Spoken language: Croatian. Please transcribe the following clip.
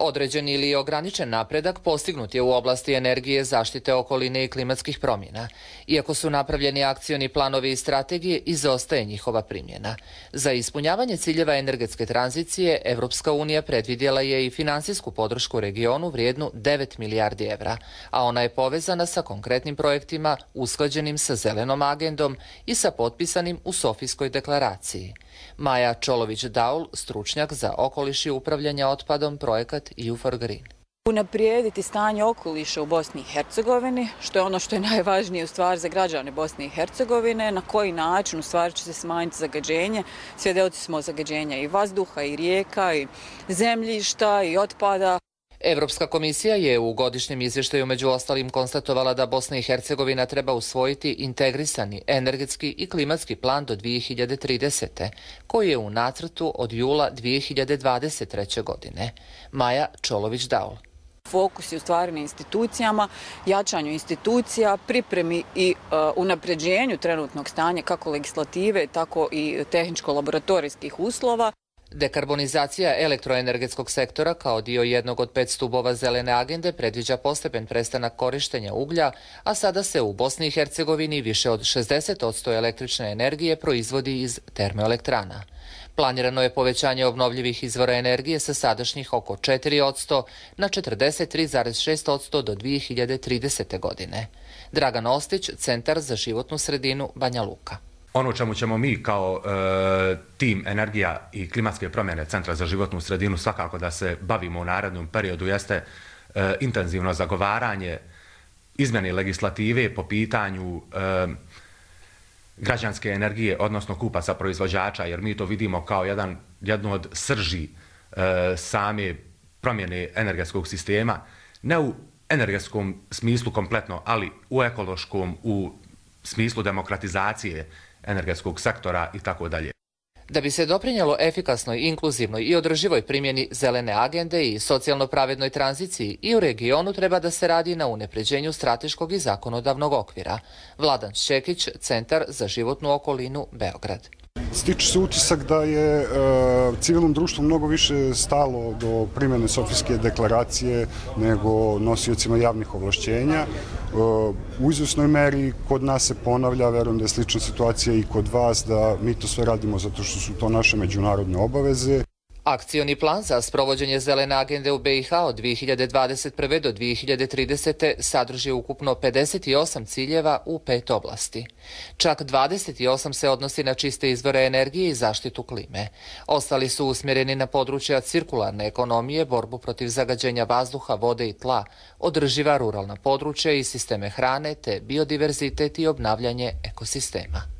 Određen ili ograničen napredak postignut je u oblasti energije, zaštite okoline i klimatskih promjena. Iako su napravljeni akcioni planovi i strategije, izostaje njihova primjena. Za ispunjavanje ciljeva energetske tranzicije, Evropska unija predvidjela je i finansijsku podršku regionu vrijednu 9 milijardi evra, a ona je povezana sa konkretnim projektima usklađenim sa zelenom agendom i sa potpisanim u Sofijskoj deklaraciji. Maja Čolović-Daul, stručnjak za okoliš i upravljanje otpadom, projekat EU4Green. Unaprijediti stanje okoliša u Bosni i Hercegovini, što je ono što je najvažnije u stvari za građane Bosne i Hercegovine, na koji način u stvari će se smanjiti zagađenje. Svjedoci smo zagađenja i vazduha, i rijeka, i zemljišta, i otpada. Evropska komisija je u godišnjem izvještaju među ostalim konstatovala da Bosna i Hercegovina treba usvojiti integrisani energetski i klimatski plan do 2030. koji je u nacrtu od jula 2023. godine. Maja Čolović-Daul. Fokus je u stvari na institucijama, jačanju institucija, pripremi i unapređenju trenutnog stanja kako legislative, tako i tehničko-laboratorijskih uslova. Dekarbonizacija elektroenergetskog sektora kao dio jednog od 5 stubova zelene agende predviđa postepen prestanak korištenja uglja, a sada se u Bosni i Hercegovini više od 60% električne energije proizvodi iz termoelektrana. Planirano je povećanje obnovljivih izvora energije sa sadašnjih oko 4% na 43,6% do 2030. godine. Dragan Ostić, Centar za životnu sredinu, Banja Luka. Ono čemu ćemo mi kao tim energija i klimatske promjene Centra za životnu sredinu svakako da se bavimo u narednom periodu jeste intenzivno zagovaranje izmjene legislative po pitanju građanske energije, odnosno kupaca proizvođača, jer mi to vidimo kao jednu od srži same promjene energetskog sistema, ne u energetskom smislu kompletno, ali u ekološkom, u smislu demokratizacije energetskog sektora i tako dalje. Da bi se doprinjelo efikasnoj, inkluzivnoj i održivoj primjeni zelene agende i socijalno pravednoj tranziciji i u regionu treba da se radi na unapređenju strateškog i zakonodavnog okvira. Vladan Šćekić, Centar za životnu okolinu, Beograd. Stiče se utisak da je civilnom društvu mnogo više stalo do primjene Sofijske deklaracije nego nosiocima javnih ovlašćenja. U izvjesnoj meri kod nas se ponavlja, verujem da je slična situacija i kod vas, da mi to sve radimo zato što su to naše međunarodne obaveze. Akcioni plan za sprovođenje zelene agende u BiH od 2021. do 2030. sadrži ukupno 58 ciljeva u 5 oblasti. Čak 28 se odnosi na čiste izvore energije i zaštitu klime. Ostali su usmjereni na područja cirkularne ekonomije, borbu protiv zagađenja vazduha, vode i tla, održiva ruralna područja i sisteme hrane te biodiverzitet i obnavljanje ekosistema.